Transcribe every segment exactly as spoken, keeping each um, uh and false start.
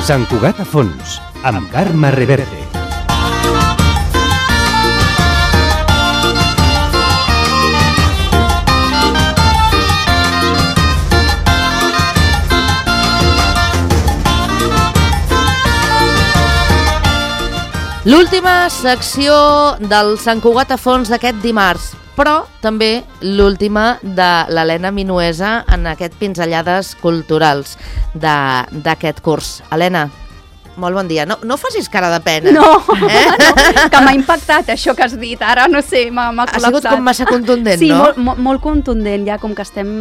Sant Cugat a fons, amb Carme Reverte. L'última secció del Sant Cugat a fons d'aquest dimarts, però també l'última de l'Helena Minuesa en aquest Pinzellades Culturals d'aquest curs. Helena, molt bon dia. No, no facis cara de pena. No, eh? no, que m'ha impactat això que has dit. Ara, no sé, m'ha col·lapsat. Ha sigut com massa contundent, sí, no? Sí, molt, molt contundent, ja com que estem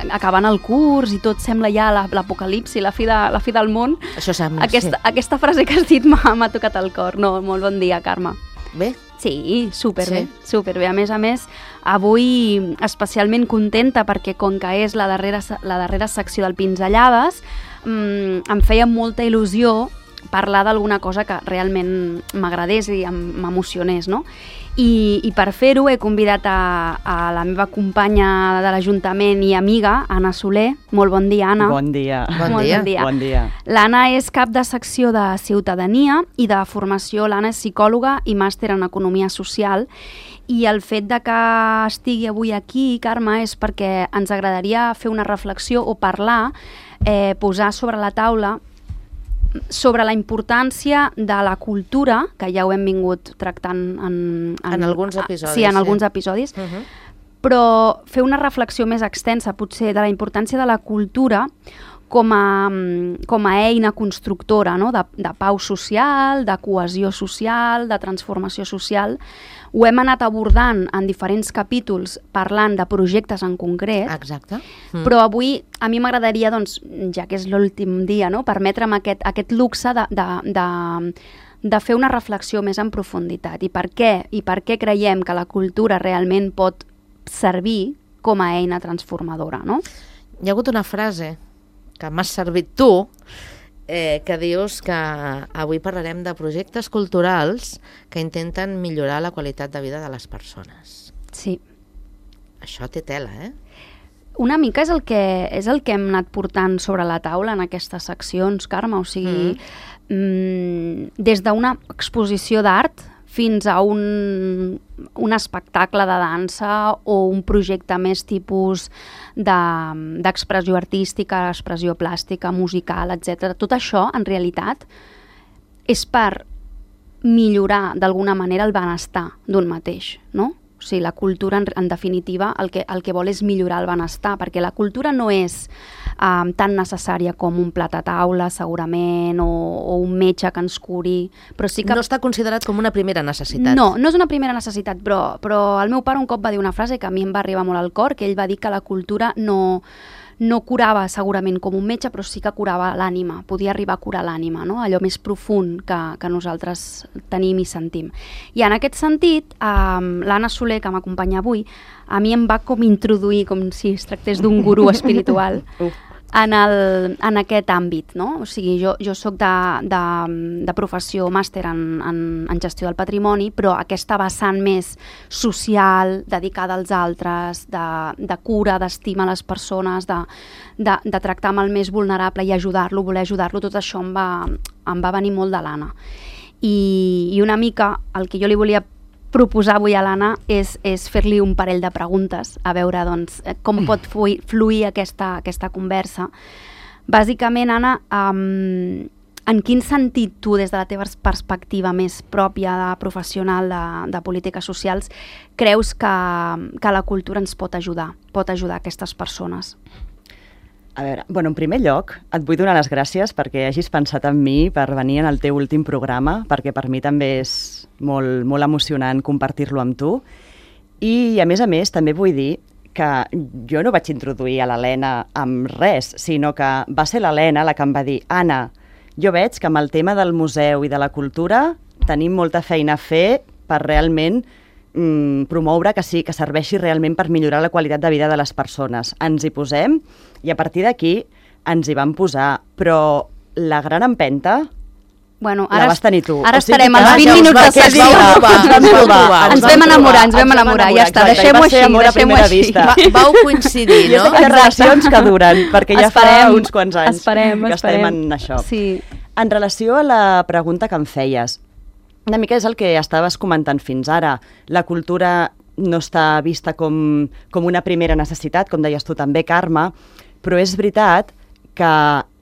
acabant el curs i tot sembla ja l'apocalipsi, la, fi de, la fi del món. Això sembla, aquesta, sí. Aquesta frase que has dit m'ha tocat el cor. No, molt bon dia, Carme. Bé? Sí, superbé, sí. superbé. A més a més, avui especialment contenta perquè com que és la darrera, la darrera secció del Pinzellades, mmm, em feia molta il·lusió parlar d'alguna cosa que realment m'agradés i m'emocionés, no? I, i per fer-ho he convidat a, a la meva companya de l'Ajuntament i amiga, Anna Soler. Molt bon dia, Anna. Bon dia. Bon Molt dia. Bon dia. Bon dia. L'Anna és cap de secció de Ciutadania i de formació. L'Anna és psicòloga i màster en Economia Social. I el fet de que estigui avui aquí, Carme, és perquè ens agradaria fer una reflexió o parlar, eh, posar sobre la taula sobre la importància de la cultura, que ja ho hem vingut tractant en... En, en alguns episodis. Sí, en sí. alguns episodis. Uh -huh. Però fer una reflexió més extensa, potser, de la importància de la cultura com a, com a eina constructora, no? de, de pau social, de cohesió social, de transformació social. Ho hem anat abordant en diferents capítols parlant de projectes en concret. Exacte. Mm. Però avui a mi m'agradaria, doncs, ja que és l'últim dia, no? permetre'm aquest, aquest luxe de, de, de, de fer una reflexió més en profunditat. I per què? I per què creiem que la cultura realment pot servir com a eina transformadora, no? Hi ha hagut una frase que m'has servit tu, eh, que dius que avui parlarem de projectes culturals que intenten millorar la qualitat de vida de les persones. Sí. Això té tela, eh? Una mica és el que, és el que hem anat portant sobre la taula en aquestes seccions, Carme, o sigui, mm. Mm, des d'una exposició d'art fins a un, un espectacle de dansa o un projecte més tipus d'expressió de, artística, expressió plàstica, musical, etcètera. Tot això, en realitat, és per millorar d'alguna manera el benestar d'un mateix, no? O sigui, la cultura, en, en definitiva, el que, el que vol és millorar el benestar, perquè la cultura no és um, tan necessària com un plat a taula, segurament, o, o un metge que ens curi, però sí que... No està considerat com una primera necessitat. No, no és una primera necessitat, però, però el meu pare un cop va dir una frase que a mi em va arribar molt al cor, que ell va dir que la cultura no... no curava segurament com un metge, però sí que curava l'ànima, podia arribar a curar l'ànima, no? Allò més profund que, que nosaltres tenim i sentim. I en aquest sentit, eh, l'Anna Soler, que m'acompanya avui, a mi em va com introduir, com si es tractés d'un gurú espiritual, en, el, en aquest àmbit, no? O sigui, jo, jo soc de, de, de professió màster en, en, en gestió del patrimoni, però aquesta vessant més social, dedicada als altres, de, de cura, d'estima a les persones, de, de, de tractar amb el més vulnerable i ajudar-lo, voler ajudar-lo, tot això em va, em va venir molt de l'Anna. I, I una mica el que jo li volia proposar avui a l'Anna és, és fer-li un parell de preguntes, a veure doncs, com pot fluir, fluir aquesta, aquesta conversa. Bàsicament, Anna, um, en quin sentit tu, des de la teva perspectiva més pròpia de professional de, de polítiques socials, creus que, que la cultura ens pot ajudar, pot ajudar aquestes persones? A veure, bueno, en primer lloc, et vull donar les gràcies perquè hagis pensat en mi per venir en el teu últim programa, perquè per mi també és molt, molt emocionant compartir-lo amb tu. I, a més a més, també vull dir que jo no vaig introduir a l'Helena amb res, sinó que va ser l'Helena la que em va dir: Anna, jo veig que amb el tema del museu i de la cultura tenim molta feina a fer per realment mm, promoure que sí, que serveixi realment per millorar la qualitat de vida de les persones. Ens hi posem i a partir d'aquí ens hi vam posar, però la gran empenta bueno, ara, la vas tenir tu. Ara o sigui estarem als vint minuts de sessió. Ens vam enamorar, ens vam enamorar, ja està, deixem-ho així, deixem-ho així. Va, vau coincidir, no? I és d'aquelles relacions que duren, perquè ja esperem, fa uns quants anys esperem, que esperem. estem en això. Sí. En relació a la pregunta que em feies, una mica és el que estaves comentant fins ara. La cultura no està vista com, com una primera necessitat, com deies tu també, Carme, però és veritat que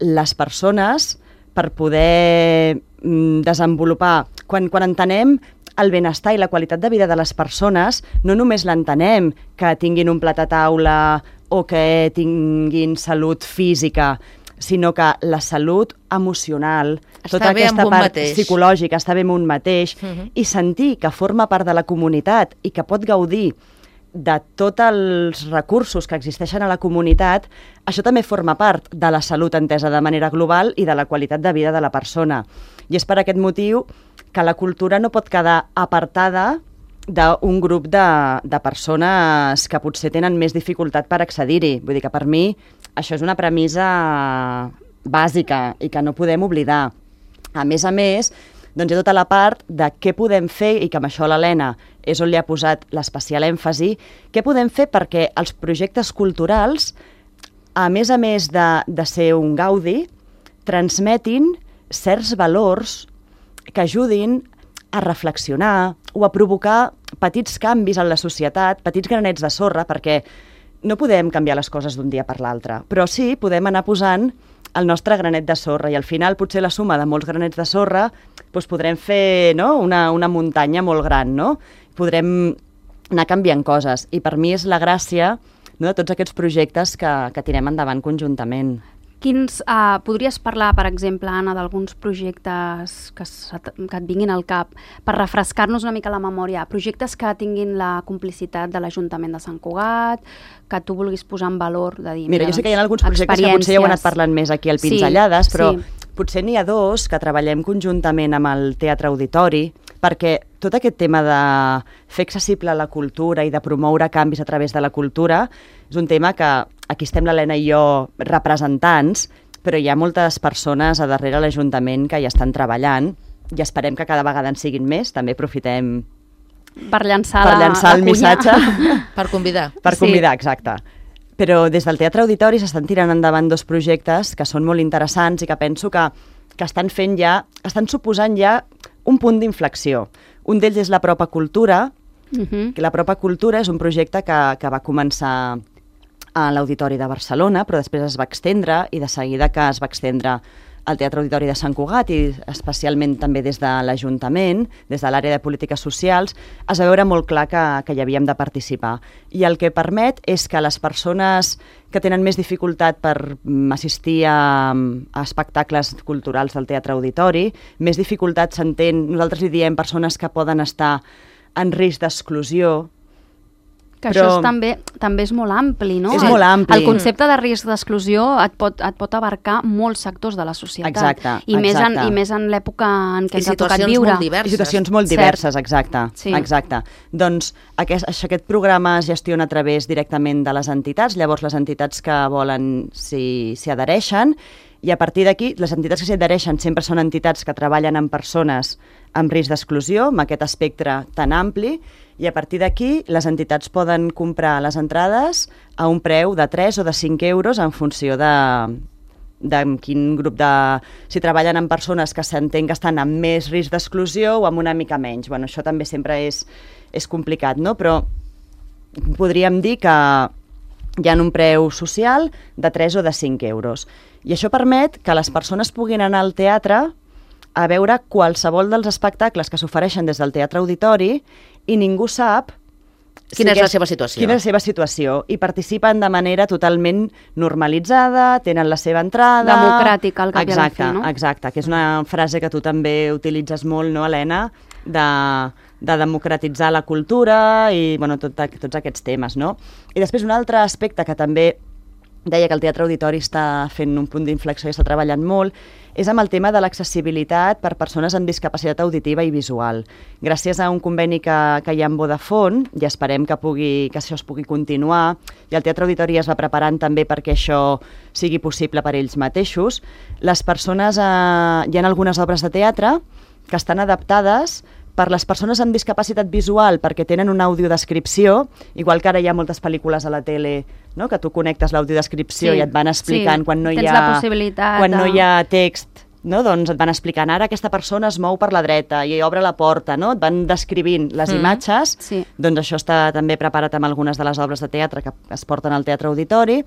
les persones, per poder mm, desenvolupar, quan, quan entenem el benestar i la qualitat de vida de les persones, no només l'entenem que tinguin un plat a taula o que tinguin salut física, sinó que la salut emocional, està tota aquesta part mateix. psicològica, està bé amb un mateix, uh -huh. i sentir que forma part de la comunitat i que pot gaudir de tots els recursos que existeixen a la comunitat, això també forma part de la salut entesa de manera global i de la qualitat de vida de la persona. I és per aquest motiu que la cultura no pot quedar apartada d'un grup de, de persones que potser tenen més dificultat per accedir-hi. Vull dir que per mi això és una premissa bàsica i que no podem oblidar. A més a més, doncs hi ha tota la part de què podem fer, i que amb això l'Helena és on li ha posat l'especial èmfasi, què podem fer perquè els projectes culturals, a més a més de, de ser un gaudi, transmetin certs valors que ajudin a reflexionar o a provocar petits canvis en la societat, petits granets de sorra, perquè no podem canviar les coses d'un dia per l'altre, però sí podem anar posant el nostre granet de sorra i al final potser la suma de molts granets de sorra doncs podrem fer, no?, una, una muntanya molt gran, no? Podrem anar canviant coses i per mi és la gràcia, no?, de tots aquests projectes que, que tirem endavant conjuntament. Quins, uh, podries parlar, per exemple, Anna, d'alguns projectes que, que et vinguin al cap per refrescar-nos una mica la memòria? Projectes que tinguin la complicitat de l'Ajuntament de Sant Cugat, que tu vulguis posar en valor, de dir... Mira, jo sé que hi ha alguns projectes que potser ja heu anat parlant més aquí al Pinzellades, sí, però sí. Potser n'hi ha dos que treballem conjuntament amb el Teatre Auditori, perquè tot aquest tema de fer accessible la cultura i de promoure canvis a través de la cultura és un tema que aquí estem l'Helena i jo representants, però hi ha moltes persones a darrere l'Ajuntament que hi estan treballant i esperem que cada vegada en siguin més. També aprofitem per llançar, per la, llançar la el cunya. missatge. Per convidar. Per Sí. convidar, exacte. Però des del Teatre Auditori s'estan tirant endavant dos projectes que són molt interessants i que penso que, que estan fent ja, estan suposant ja un punt d'inflexió. Un d'ells és la Propa Cultura, Uh-huh. que la Propa Cultura és un projecte que, que va començar a l'Auditori de Barcelona, però després es va extendre i de seguida que es va extendre al Teatre Auditori de Sant Cugat i especialment també des de l'Ajuntament, des de l'àrea de polítiques socials, es va veure molt clar que, que hi havíem de participar. I el que permet és que les persones que tenen més dificultat per assistir a, a espectacles culturals del Teatre Auditori, més dificultat s'entén, nosaltres li diem persones que poden estar en risc d'exclusió. Que Però... això és també, també és molt ampli, no? És el, molt ampli. El concepte de risc d'exclusió et pot, et pot abarcar molts sectors de la societat. Exacte, I més en, exacte. I més en l'època en què I ens ha tocat situacions viure. molt diverses. I situacions molt Cert. diverses, exacte. Sí. exacte. Doncs aquest, aquest programa es gestiona a través directament de les entitats, llavors les entitats que volen s'hi s'hi adhereixen, i a partir d'aquí, les entitats que s'hi adhereixen sempre són entitats que treballen amb persones amb risc d'exclusió, amb aquest espectre tan ampli, i a partir d'aquí les entitats poden comprar les entrades a un preu de tres o de cinc euros en funció de, de quin grup de... Si treballen amb persones que s'entén que estan amb més risc d'exclusió o amb una mica menys. Bueno, això també sempre és, és complicat, no? Però podríem dir que hi ha un preu social de tres o de cinc euros. I això permet que les persones puguin anar al teatre a veure qualsevol dels espectacles que s'ofereixen des del Teatre Auditori i ningú sap Quina és la seva situació. Quina és la seva situació. I participen de manera totalment normalitzada, tenen la seva entrada... Democràtica, al cap i a la exacte, fi, no? Exacte, que és una frase que tu també utilitzes molt, no, Helena? De, de democratitzar la cultura i bueno, tot, tots aquests temes, no? I després un altre aspecte que també deia que el Teatre Auditori està fent un punt d'inflexió i està treballant molt, és amb el tema de l'accessibilitat per persones amb discapacitat auditiva i visual. Gràcies a un conveni que, que hi ha amb Vodafone, i esperem que, pugui, que això es pugui continuar, i el Teatre Auditori es va preparant també perquè això sigui possible per ells mateixos, les persones, eh, hi ha algunes obres de teatre que estan adaptades per les persones amb discapacitat visual perquè tenen una audiodescripció, igual que ara hi ha moltes pel·lícules a la tele, no? Que tu connectes l'audiodescripció Sí, i et van explicant sí, quan, no hi tens ha, la possibilitat quan de- no hi ha text, no? Doncs et van explicant, ara aquesta persona es mou per la dreta i obre la porta, no? Et van descrivint les mm. imatges, sí. Doncs això està també preparat amb algunes de les obres de teatre que es porten al Teatre Auditori,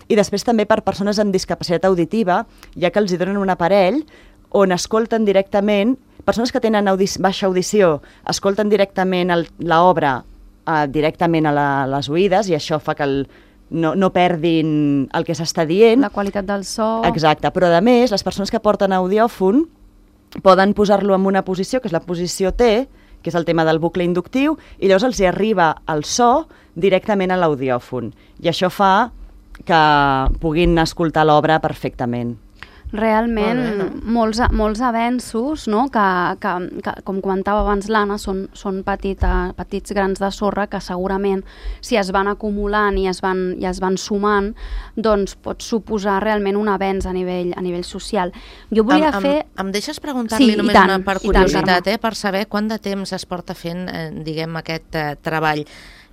i després també per persones amb discapacitat auditiva, ja que els hi donen un aparell on escolten directament, persones que tenen audi baixa audició, escolten directament l'obra eh, directament a la, les oïdes, i això fa que el, no, no perdin el que s'està dient. La qualitat del so. Exacte, però a més, les persones que porten audiòfon poden posar-lo en una posició, que és la posició T, que és el tema del bucle inductiu, i llavors els hi arriba el so directament a l'audiòfon. I això fa que puguin escoltar l'obra perfectament. Realment, Molt bé, no? molts, molts avenços, no? que, que, que, com comentava abans l'Anna, són, són petita, petits grans de sorra que segurament, si es van acumulant i es van, i es van sumant, doncs pot suposar realment un avenç a nivell, a nivell social. Jo volia em, fer... Em, em deixes preguntar-li Sí, només i tant, una per i tant, curiositat, Carme. eh, per saber quant de temps es porta fent, eh, diguem, aquest eh, treball.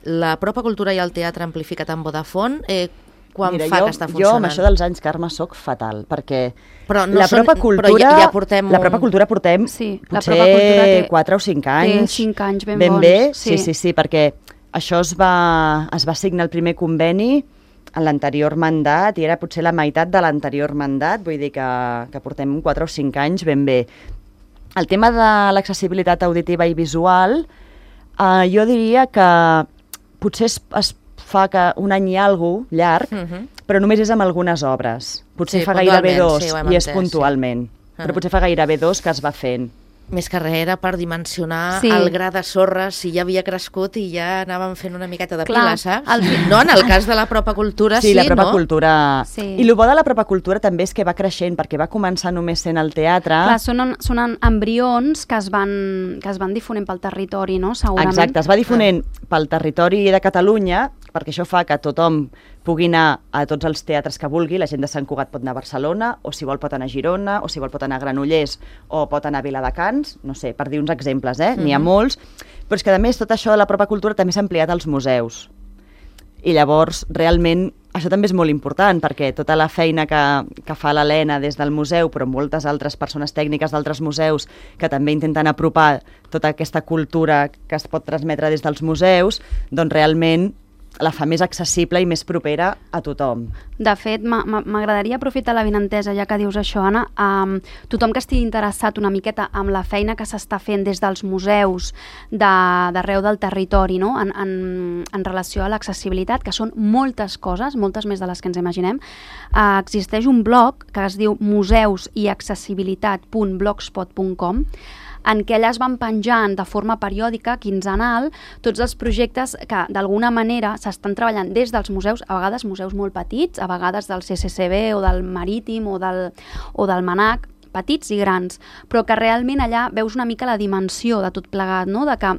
La Propa Cultura i el Teatre Amplificat en Vodafone, eh, quan Mira, fa jo, que està jo funcionant? amb això dels anys, Carme, soc fatal, perquè Però no la són- Propa Cultura, però ja- ja portem la un- Propa Cultura portem Sí, la potser Propa Cultura té- quatre o cinc té anys. cinc anys ben ben bons, bé, sí. sí, sí, sí, perquè això es va, es va signar el primer conveni en l'anterior mandat i era potser la meitat de l'anterior mandat, vull dir que, que portem quatre o cinc anys ben bé. El tema de l'accessibilitat auditiva i visual, eh, jo diria que potser es, es fa que un any i alguna cosa llarg, Uh -huh. però només és amb algunes obres. Potser Sí, fa gairebé puntualment, dos, sí, ho hem i és entès, puntualment. sí. Però Ah. potser fa gairebé dos que es va fent. Més que res era per dimensionar Sí. el gra de sorra, si ja havia crescut i ja anàvem fent una miqueta de Clar, pila, saps? el- No, en el cas de la Propa Cultura sí, Sí, la Propa no? Cultura... Sí. I el bo de la Propa Cultura també és que va creixent, perquè va començar només sent al teatre. Clar, són, en- són en- embrions que es, van, que es van difonent pel territori, no? Segurament. Exacte, es va difonent pel territori de Catalunya, perquè això fa que tothom pugui anar a tots els teatres que vulgui. La gent de Sant Cugat pot anar a Barcelona, o si vol pot anar a Girona, o si vol pot anar a Granollers, o pot anar a Viladecans, no sé, per dir uns exemples, eh? N'hi ha Mhm. molts, però és que a més tot això de la Propa Cultura també s'ha ampliat als museus. I llavors, realment, això també és molt important, perquè tota la feina que, que fa l'Helena des del museu, però moltes altres persones tècniques d'altres museus que també intenten apropar tota aquesta cultura que es pot transmetre des dels museus, doncs realment la fa més accessible i més propera a tothom. De fet, m'a- m'a- m'agradaria aprofitar la vinentesa, ja que dius això, Anna. Um, tothom que estigui interessat una miqueta amb la feina que s'està fent des dels museus de- d'arreu del territori, no? en, en, en relació a l'accessibilitat, que són moltes coses, moltes més de les que ens imaginem, uh, existeix un blog que es diu museus i accessibilitat punt blogspot punt com, en què allà es van penjant de forma periòdica, quinzenal, tots els projectes que d'alguna manera s'estan treballant des dels museus, a vegades museus molt petits, a vegades del C C C B o del Marítim o del, o del MANAC, petits i grans, però que realment allà veus una mica la dimensió de tot plegat, no? De que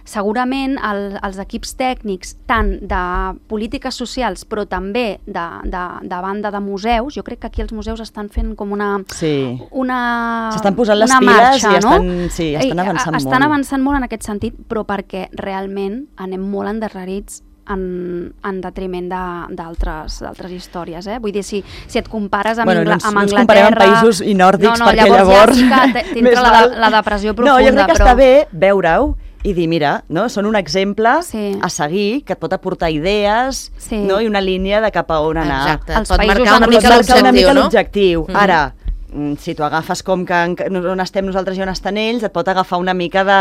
segurament el, els equips tècnics, tant de polítiques socials, però també de, de, de banda de museus, jo crec que aquí els museus estan fent com una... Sí. una S'estan posant les una piles marxa, i estan, no? sí, estan I, avançant estan molt. avançant molt en aquest sentit, però perquè realment anem molt endarrerits en, en detriment de- d'altres d'altres històries, eh? Vull dir, si, si et compares amb, Bueno, Ingla, no ens, amb no ens Anglaterra... comparem amb països i nòrdics, no, no, perquè llavors, llavors... ja sí que més t'entra la, val- la depressió profunda. No, jo crec que però... està bé veure-ho i dir, mira, no? Són un exemple Sí. a seguir, que et pot aportar idees, Sí. no? I una línia de cap a on anar. Exacte, Els et pot països marcar una amb mica els marcar una mica l'objectiu, no? l'objectiu. Mhm. Ara, mm, si tu agafes com que en- on estem nosaltres i on estan ells, et pot agafar una mica de...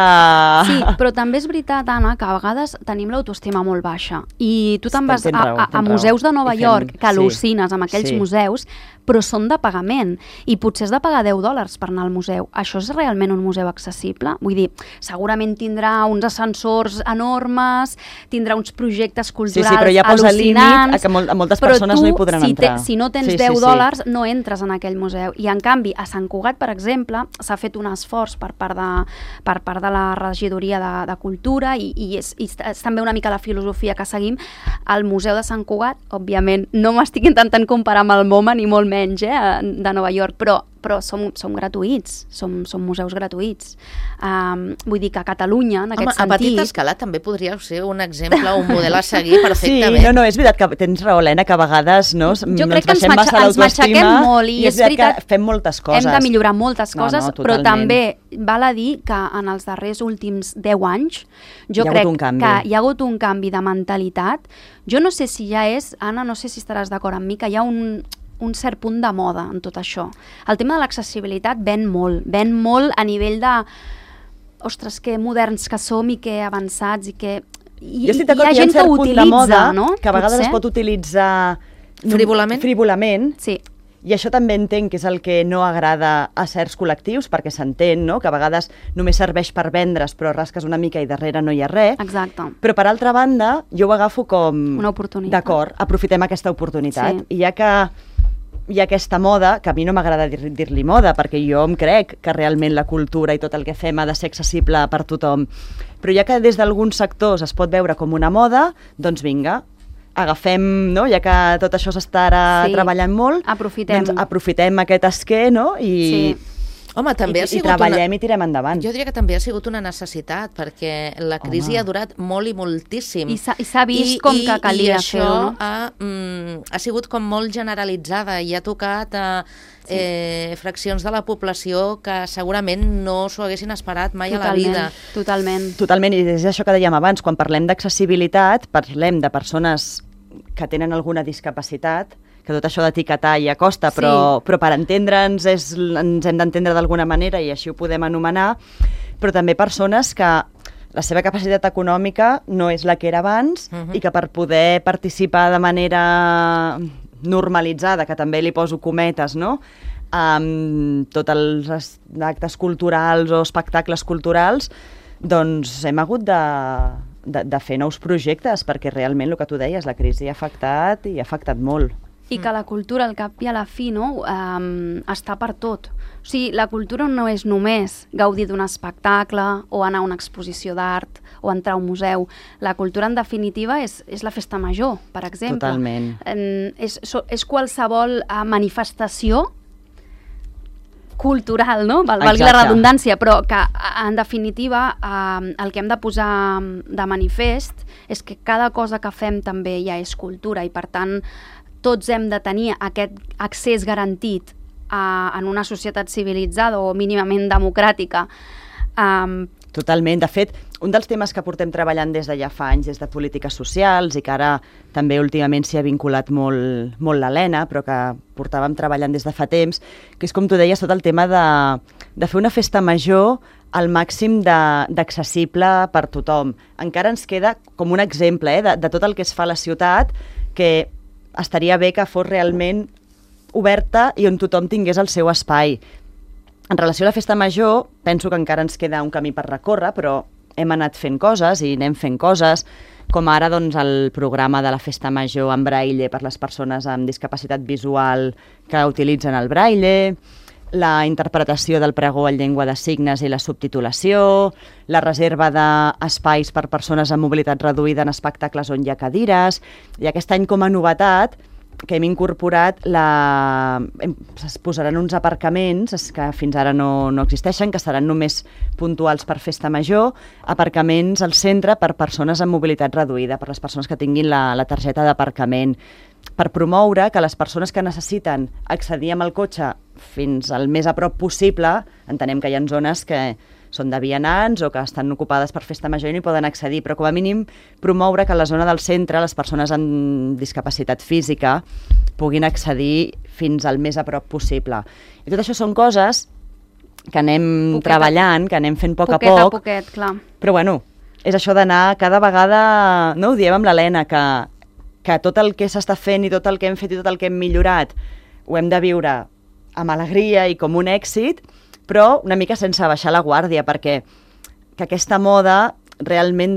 Sí, però també és veritat, Anna, que a vegades tenim l'autoestima molt baixa i tu te'n vas Tens a, raó, a, a tens raó. museus de Nova I fem- York que sí, al·lucines amb aquells sí. museus, però són de pagament i potser has de pagar deu dòlars per anar al museu. Això és realment un museu accessible? Vull dir, segurament tindrà uns ascensors enormes, tindrà uns projectes Sí, culturals sí, però ja posa límit al·lucinants, a que mol a moltes però persones tu, no hi podran si entrar. Te, si no tens Sí, sí, deu sí. dòlars, no entres en aquell museu. I en canvi, a Sant Cugat, per exemple, s'ha fet un esforç per part de, per part de la regidoria de, de Cultura i, i, és, i és també una mica la filosofia que seguim. El Museu de Sant Cugat, òbviament, no m'estic intentant comparar amb el MoMA ni molt menys, eh, de Nova York, però però som, som gratuïts, som, som museus gratuïts. Um, vull dir que a Catalunya, en Home, aquest sentit... a petita escala també podria ser un exemple, un model a seguir perfectament. Sí, no, no, és veritat que tens raó, Helena, que a vegades no, jo crec ens que ens, baixem massa ens matxaquem molt i, i és, és veritat que fem moltes coses. Hem de millorar moltes coses, no, no, però també val a dir que en els darrers últims deu anys jo crec que hi ha hagut un canvi de mentalitat. Jo no sé si ja és, Anna, no sé si estaràs d'acord amb mi, que hi ha un, un cert punt de moda en tot això. El tema de l'accessibilitat ven molt, ven molt a nivell de ostres, que moderns que som i que avançats i que hi, jo estic d'acord, hi ha hi ha gent un cert que punt utilitza, de moda, no? que a vegades Potser? es pot utilitzar frívolament, frívolament sí. I això també entenc que és el que no agrada a certs col·lectius, perquè s'entén, no?, que a vegades només serveix per vendre's, però rasques una mica i darrere no hi ha res. Exacte. Però, per altra banda, jo ho agafo com... una oportunitat. D'acord, aprofitem aquesta oportunitat. Sí. I ja que hi ha aquesta moda, que a mi no m'agrada dir- dir-li moda, perquè jo em crec que realment la cultura i tot el que fem ha de ser accessible per tothom. Però ja que des d'alguns sectors es pot veure com una moda, doncs vinga, agafem, no? Ja que tot això s'està ara Sí. treballant molt, Aprofitem-ho. doncs aprofitem aquest esquer, no? I, Sí. Home, també i, ha i sigut treballem una... i tirem endavant. Jo diria que també ha sigut una necessitat, perquè la crisi Home. ha durat molt i moltíssim. I s'ha i s'ha vist com que calia I això fer-ho, no? ha, mm, ha sigut com molt generalitzada i ha tocat a eh, fraccions de la població que segurament no s'ho haguessin esperat mai a la vida. Totalment. Totalment, i és això que dèiem abans, quan parlem d'accessibilitat, parlem de persones que tenen alguna discapacitat, que tot això d'etiquetar ja costa, però, Sí. però per entendre'ns és, ens hem d'entendre d'alguna manera i així ho podem anomenar, però també persones que la seva capacitat econòmica no és la que era abans Mhm. i que per poder participar de manera normalitzada, que també li poso cometes, no?, amb tots els es- actes culturals o espectacles culturals, doncs hem hagut de, de, de fer nous projectes, perquè realment el que tu deies, la crisi ha afectat i ha afectat molt. I que la cultura, al cap i a la fi, no, um, està per tot. O sigui, la cultura no és només gaudir d'un espectacle o anar a una exposició d'art o entrar a un museu. La cultura, en definitiva, és, és la festa major, per exemple. Totalment. En, és, so, és qualsevol uh, manifestació cultural, no? Val, valgui la Exacte. redundància, però que, a- en definitiva, eh, el que hem de posar de manifest és que cada cosa que fem també ja és cultura i, per tant, tots hem de tenir aquest accés garantit a, en una societat civilitzada o mínimament democràtica. Um, Totalment. De fet, un dels temes que portem treballant des de ja fa anys és de polítiques socials i que ara també últimament s'hi ha vinculat molt, molt l'Helena, però que portàvem treballant des de fa temps, que és, com tu deies, tot el tema de, de fer una festa major al màxim de- d'accessible per tothom. Encara ens queda com un exemple eh, de, de tot el que es fa a la ciutat, que estaria bé que fos realment oberta i on tothom tingués el seu espai. En relació a la festa major, penso que encara ens queda un camí per recórrer, però hem anat fent coses i anem fent coses, com ara doncs, el programa de la festa major en braille per les persones amb discapacitat visual que utilitzen el braille, la interpretació del pregó en llengua de signes i la subtitulació, la reserva d'espais per persones amb mobilitat reduïda en espectacles on hi ha cadires, i aquest any com a novetat que hem incorporat, la... es posaran uns aparcaments que fins ara no, no existeixen, que seran només puntuals per festa major, aparcaments al centre per persones amb mobilitat reduïda, per les persones que tinguin la, la targeta d'aparcament, per promoure que les persones que necessiten accedir amb el cotxe fins al més a prop possible, entenem que hi ha zones que són de vianants o que estan ocupades per festa major i no hi poden accedir, però com a mínim promoure que a la zona del centre les persones amb discapacitat física puguin accedir fins al més a prop possible. I tot això són coses que anem Poquet a- treballant, que anem fent a poc poquet a a poc, poquet, clar. però bueno, és això d'anar cada vegada, no ho diem amb l'Helena, que, que tot el que s'està fent i tot el que hem fet i tot el que hem millorat ho hem de viure amb alegria i com un èxit, però una mica sense baixar la guàrdia, perquè que aquesta moda realment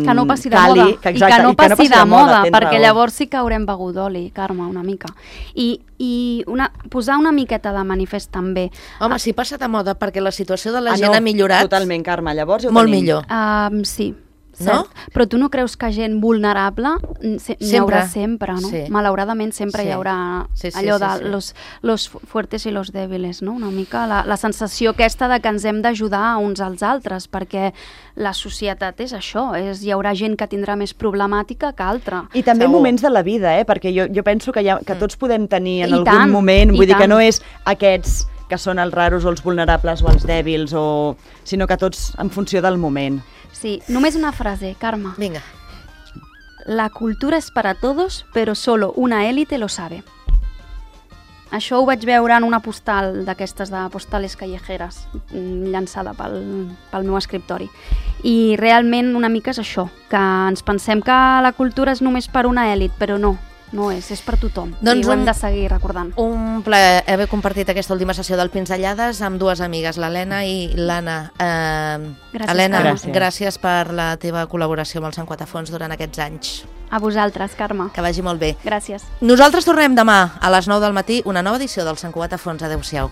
Que no passi de cali, moda, que, i que no passi, passi de moda, tens perquè raó. llavors sí que haurem begut oli, Carme, una mica. I, i una, posar una miqueta de manifest també. Home, si passa de moda perquè la situació de la Ah, gent no, ha millorat, Totalment, Carme, llavors ja ho molt tenim. millor. Um, sí, no? Cert. Però tu no creus que gent vulnerable se, n'hi haurà sempre, no? Sí. Malauradament sempre Sí. hi haurà Sí, sí, allò sí, de sí. los, los fuertes i los débiles, no? Una mica la, la sensació aquesta de que ens hem d'ajudar uns als altres, perquè la societat és això, és, hi haurà gent que tindrà més problemàtica que altra. I també Segur. moments de la vida, eh? Perquè jo, jo penso que, ha, que tots podem tenir en I algun tant, moment, i vull dir que tant. no és aquests que són els raros o els vulnerables o els dèbils, o... sinó que tots en funció del moment. Sí, només una frase, Carme. Vinga. La cultura es para todos, pero solo una élite lo sabe. Això ho vaig veure en una postal d'aquestes de postales callejeres, mm, llançada pel, pel meu escriptori. I realment una mica és això, que ens pensem que la cultura és només per una èlit, però no, no és, és per tothom. Doncs I ho hem un- de seguir recordant. Un plaer haver compartit aquesta última sessió del Pinzellades amb dues amigues, l'Helena i l'Anna. Eh, Gràcies, Helena, Carme. gràcies. gràcies per la teva col·laboració amb el Sant Quatafons durant aquests anys. A vosaltres, Carme. Que vagi molt bé. Gràcies. Nosaltres tornem demà a les nou del matí, una nova edició del Sant Cugat a Fons. Adéu-siau.